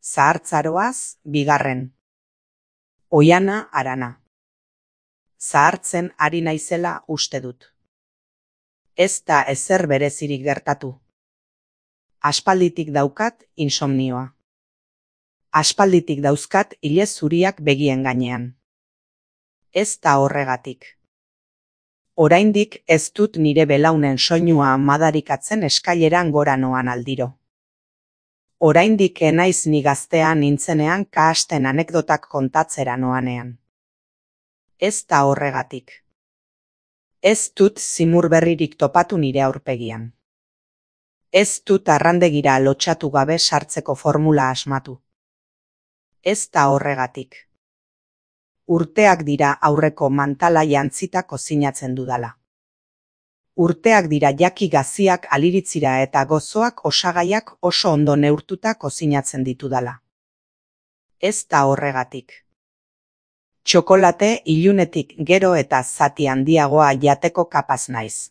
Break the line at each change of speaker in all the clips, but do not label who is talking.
Zahartzaroaz, bigarren. Oiana Arana. Zahartzen ari naizela uste dut. Ez da ezer berezirik gertatu. Aspalditik daukat insomnioa. Aspalditik dauzkat ile zuriak begien gainean. Ez da horregatik. Oraindik ez dut nire belaunen soinua madarikatzen eskaileran gora noan aldiro. Oraindik enaiz ni gaztea nintzenean kahasten anekdotak kontatzera noanean. Ez da horregatik. Ez dut zimur berririk topatu nire aurpegian. Ez dut arrandegira lotxatu gabe sartzeko formula asmatu. Ez da horregatik. Urteak dira aurreko mantala jantzita kozinatzen dudala. Urteak dira jaki gaziak aliritzira eta gozoak osagaiak oso ondo neurtuta kozinatzen ditudala. Ez da horregatik. Txokolate ilunetik gero eta zati handiagoa jateko kapaz naiz.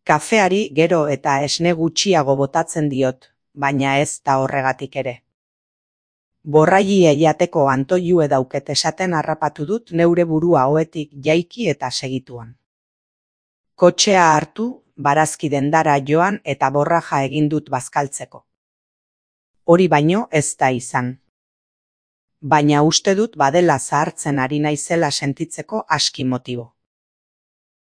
Kafeari gero eta esne gutxiago botatzen diot, baina ez da horregatik ere. Borrailie jateko antoilue dauket esaten harrapatu dut neure burua ohetik jaiki eta segituan. Kotxea hartu, barazki dendara joan eta borraja egin dut bazkaltzeko. Hori baino ez da izan. Baina uste dut badela zahartzen ari naizela sentitzeko aski motibo.